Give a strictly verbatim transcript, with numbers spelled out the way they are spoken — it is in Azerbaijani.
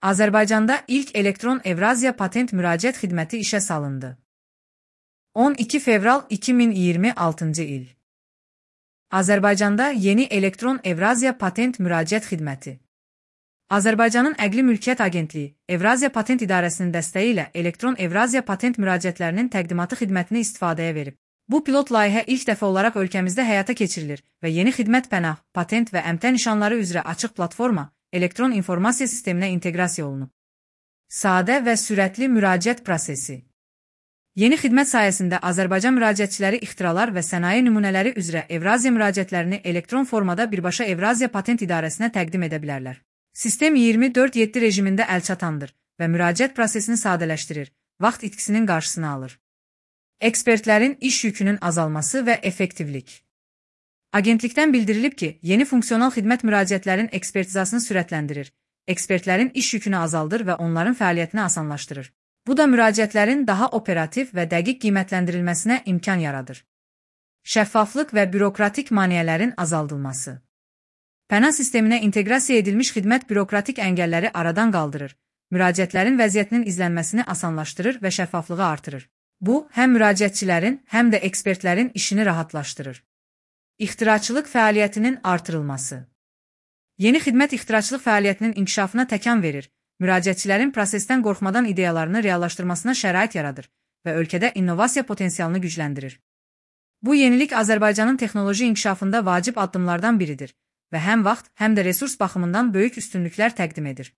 Azərbaycanda ilk elektron Evraziya patent müraciət xidməti işə salındı. on iki fevral iki min iyirmi altıncı il. Azərbaycanda yeni elektron Evraziya patent müraciət xidməti. Azərbaycanın Əqli Mülkiyyət Agentliyi, Evraziya Patent İdarəsinin dəstəyi ilə elektron Evraziya patent müraciətlərinin təqdimatı xidmətini istifadəyə verib. Bu pilot layihə ilk dəfə olaraq ölkəmizdə həyata keçirilir və yeni xidmət pənah, patent və əmtə nişanları üzrə açıq platforma, elektron informasiya sisteminə inteqrasiya olunub. Sadə və sürətli müraciət prosesi. Yeni xidmət sayəsində Azərbaycan müraciətçiləri ixtiralar və sənaye nümunələri üzrə Evraziya müraciətlərini elektron formada birbaşa Evraziya Patent İdarəsinə təqdim edə bilərlər. Sistem iyirmi dörd yeddi rejimində əlçatandır və müraciət prosesini sadələşdirir, vaxt itkisinin qarşısını alır. Ekspertlərin iş yükünün azalması və effektivlik. Agentlikdən bildirilib ki, yeni funksional xidmət müraciətlərin ekspertizasını sürətləndirir, ekspertlərin iş yükünü azaldır və onların fəaliyyətini asanlaşdırır. Bu da müraciətlərin daha operativ və dəqiq qiymətləndirilməsinə imkan yaradır. Şəffaflıq və bürokratik maneələrin azaldılması. Pənah sisteminə inteqrasiya edilmiş xidmət bürokratik əngəlləri aradan qaldırır, müraciətlərin vəziyyətinin izlənməsini asanlaşdırır və şəffaflığı artırır. Bu, həm müraciətçilərin, həm də ekspertlərin işini rahatlaşdırır. İxtiraçılıq fəaliyyətinin artırılması. Yeni xidmət ixtiraçılıq fəaliyyətinin inkişafına təkan verir, müraciətçilərin prosesdən qorxmadan ideyalarını reallaşdırmasına şərait yaradır və ölkədə innovasiya potensialını gücləndirir. Bu yenilik Azərbaycanın texnoloji inkişafında vacib addımlardan biridir və həm vaxt, həm də resurs baxımından böyük üstünlüklər təqdim edir.